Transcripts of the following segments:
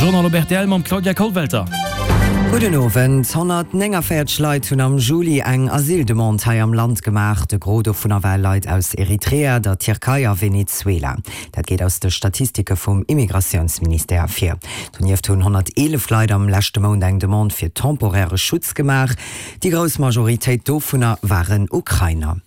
Journal op rtl mam Claudia Kollwelter. Gudden Owend. 149 Leit hunn am Juli eng Asyldemande hei am Land gemaach. De Gros dovunner ware Leit aus Eritrea, der Tierkei a Venezuela. Dat geet aus de Statistike vum Immigratiounsministère ervir. Donieft hunn 111 Leit am leschte Mount eng Demande fir temporäre Schutz gemaach. Déi grouss Majoritéit dovunner waren Ukrainer.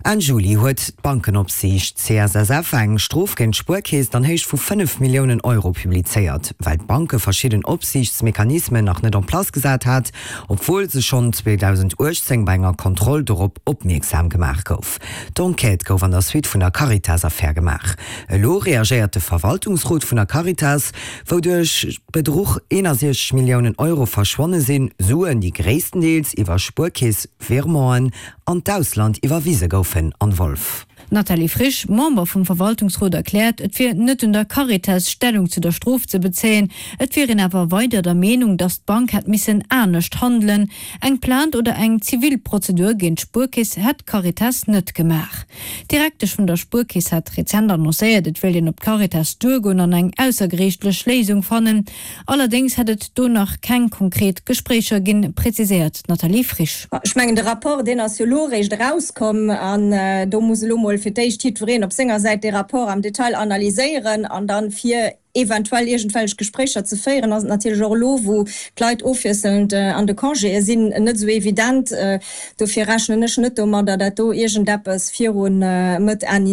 Enn Juli huet d'Bankenopsiicht CSSF eng Strof géint d'Spuerkeess an Héicht vu 5 Milliounen Euro publizéiert, well d'Banke verschidden Opsiichtsmechanismen nach net en place gesat hat, obwuel se schonn 2018 bei enger Kontroll dorop opmierksam gemaach gouf. D'Enquête gouf an der Suite vun der Caritas-Affär gemaach. Elo reagéiert de Verwaltungsrot vun der Caritas, wou duerch Bedruch 61 Milliounen Euro verschwonne sinn, Suen, déi gréisstendeels iwwer Spuerkeess-Virementen an d'Ausland iwwerwise goufen, Anne Wolff. D'Nathalie Frisch, Member vum Verwaltungsrot, erkläert, et wier net un der Caritas, Stellung zu der Strof ze bezéien. Et wier een awer weider der Meenung, datt d'Bank hätt missen anescht handelen. Eng Plainte oder eng zivil Prozedur géint d'Spuerkeess hätt d'Caritas net gemaach. D'Direktesch vun der Spuerkeess hat rezent annoncéiert, et wéilt een op d'Caritas duergoen an eng aussergeriichtlech Léisung fannen. Allerdéngs hätt et do nach keng konkret Gespréicher ginn, präziséiert d'Nathalie Frisch. Ech mengen, de Rapport, deen ass jo elo eréischt erauskomm an do muss elo mol fir d'éischt jiddwereen op senger Säit dee Rapport am Detail analyséieren an dann, fir eventuell iergendwellech Gespréicher ze féieren, ass et natierlech och elo, wou d'Leit ofwiesselnd an de Congéë sinn, net esou evident. Dofir rechnen ech net domadder, dat do iergendeppes viru Mëtt, Enn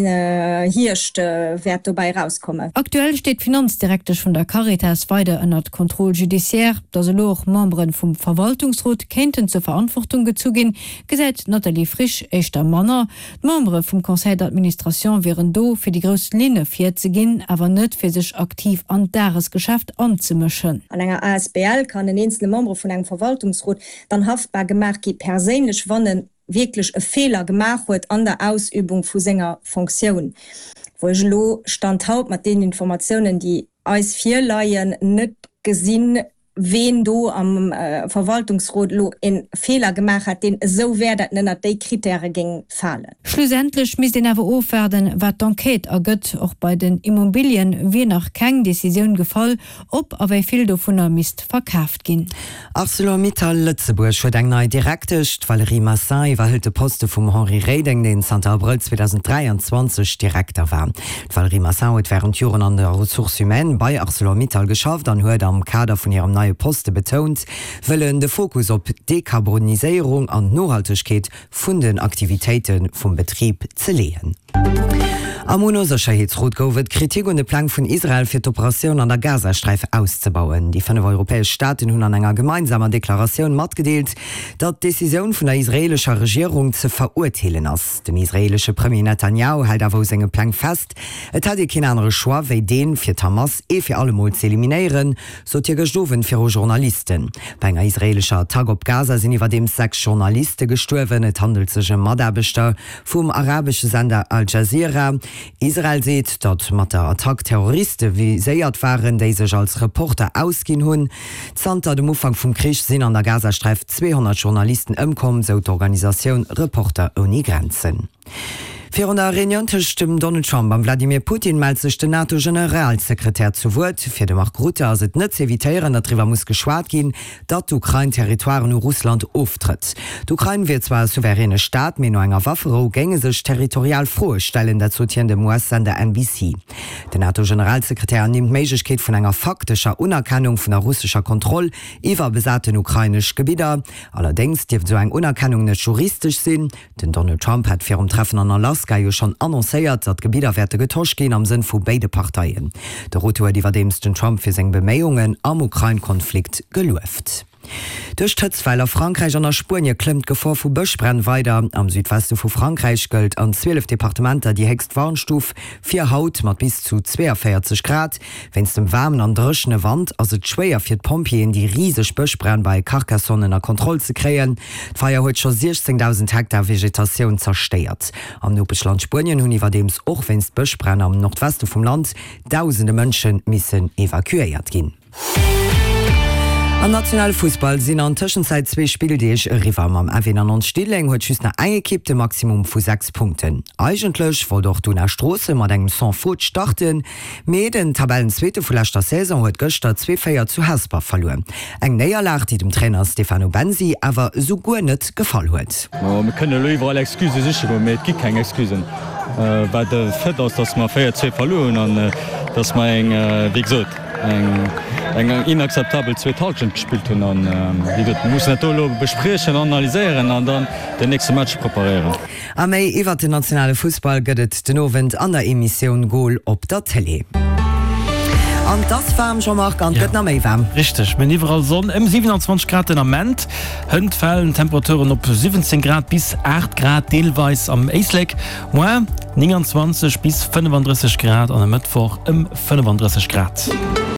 Hierscht wäert dobäi erauskommen. Aktuell steet d'Finanzdirektesch vun der Caritas weider ënnert Contrôle judiciaire. Datt elo och Membere vum Verwaltungsrot kéinten zur Verantwortung gezu ginn, gesäit d'Nathalie Frisch éischter manner. D'Membere vum Conseil d'administration wieren do, fir déi grouss Linne virzeginn, awer net fir sech aktiv an d'Dagesgeschäft anzemëschen. An enger asbl kann en eenzele Membre vun engem Verwaltungsrot dann haftbar gemaach gi perséinlech, wann e wierklech e Feeler gemaach huet an der Ausübung vu senger Fonctioun, wou ech elo Stand haut mat deenen Informatiounen, déi eis virleien, net gesinn, ween do am Verwaltungsrot elo e Feeler gemaach hätt, deen esou wär, dat en ënnert déi Kritäre géing falen. Schlussendlech misst een awer ofwaarden, wat d'Enquête ergëtt. Och bei den Immobilien wier nach keng Decisioun gefall, ob a wéi vill dovunner misst verkaaft ginn. Arcelor-Mittal Lëtzebuerg huet eng nei Direktesch. D'Valérie Massin iwwerhëlt de Poste vum Henri Reding, deen zanter Abrëll 2023 Direkter war. D'Valérie Massin huet wärend Joren an der Ressources humaines bei Arcelor-Mittal geschafft an huet am Kader vun hirem neie Poste betount, wëllen de Fokus op d'Dekarboniséierung an d'Nohaltegkeet vun den Aktivitéite vum Betrib ze leeën. Am UNO-Sécherheetsrot gouf et Kritik un de Pläng vun Israel fir d'Operatioun an der Gazasträif auszebauen. Déi 5 europäesch Staaten hunn an enger gemeinsamer Deklaratioun matgedeelt, datt d'Decisioun vun der israeelescher Regierung ze verurteelen ass. Den israeelesche Premier Netanjahu hält awer u senge Pläng fest. Et hätt ee keen anere Choix wéi deen, fir d'Hamas ee fir alle Mol z'eliminéieren, sot hie gëscht Owend viru Journalisten. Bei enger israeelescher Attack op Gaza sinn iwwerdeems 6 Journaliste gestuerwen. Et handelt sech ëm Mataarbechter vum arabesche Sender Al Jazeera. Israel seet, datt mat der Attack Terroriste viséiert waren, déi sech als Reporter ausginn hunn. Zanter dem Ufank vum Krich sinn an der Gazasträif 200 Journalisten ëmkomm, sou d'Organisatioun Reporter ouni Grenzen. Virun der Reunioun tëscht dem Donald Trump am Vladimir Putin mellt sech den NATO-Generalsekretär zu Wuert. Fir de Mark Rutte ass et net z'evitéieren, datt driwwer muss geschwat ginn, datt d'Ukrain Territoiren u Russland oftrëtt. D'Ukrain wier zwar e souveräne Staat, mee no enger Wafferou géinge sech territorial Froe stellen, dat sot hien dem US-Sender NBC. Den NATO-Generalsekretär ernimmt d'Méiglechkeet vun enger faktescher Unerkennung vun der russescher Kontroll iwwer besaten ukrainesch Gebidder. Allerdéngs dierft esou eng Unerkennung net juristesch sinn. Den Donald Trump hat virum Treffen an Alaska jo schonn annoncéiert, datt Gebidder wäerte getosch ginn am Sënn vu béide Parteien. De Rutte huet iwwerdeems den Trump fir seng Beméiungen am Ukrain-Konflikt gelueft. Duerch d'Hëtztwell a Frankräich an a Spuenie klëmmt d'Gefor vu Bëschbränn weider. Am Südweste vu Frankräich gëllt an 12 Departementer déi héchst Warnstuf fir haut mat bis zu 42 Grad. Wéinst dem waarmen an dréchene Wand ass et schwéier fir d'Pompjeeën déi riseg Bëschbränn bei Carcassonne ënner Kontroll ze kréien. D'Feier huet scho 16.000 Hektar Vegetatioun zerstéiert. Am Nopeschland Spuenien hunn iwwerdeems och wéinst Bëschbränn am Nordweste vum Land dausende Mënsche missen evakuéiert ginn. Am nationale Fussball sinn an Tëschenzäit zwee Spilldeeg eriwwer. Mam FE 99 Diddeleng huet just nach eng Ekipp de Maximum vu 6 Punkten. Eigentlech wollt och d'Una Stroossen mat engem Sans Faute starten, mee den Tabellenzweete vu leschter Saison huet gëschter 2, 4 zu Hesper verluer. Eng Néierlag, déi dem Trainer Stefano Bensi awer esou guer net gefall huet. Mir kënnen elo iwwerall Excusë siche goen, mee et gi keng Excusen. Wat e Fait ass, datt mer 4, 2 verluer hunn an datt mer eng, wéi gesot, eng inakzeptabel zweet Hallschent gespillt hunn. An, wéi gesot, mir mussen dat do elo bespriechen, analyséieren an dann den nächste Match preparéieren. A méi iwwert den nationale Fussball gëtt et den Owend an der Emissioun Goal op der Télé. An 't ass waarm, Jean-Marc, an 't gëtt nach méi waarm. Richteg, mir hunn iwwerall Sonn, ëm 27 Grad den Ament. Hënt falen d'Temperaturen op 17 Grad bis 8 Grad, deelweis am Éislek. Moar 29 bis 35 Grad an e Mëttwoch ëm 35 Grad.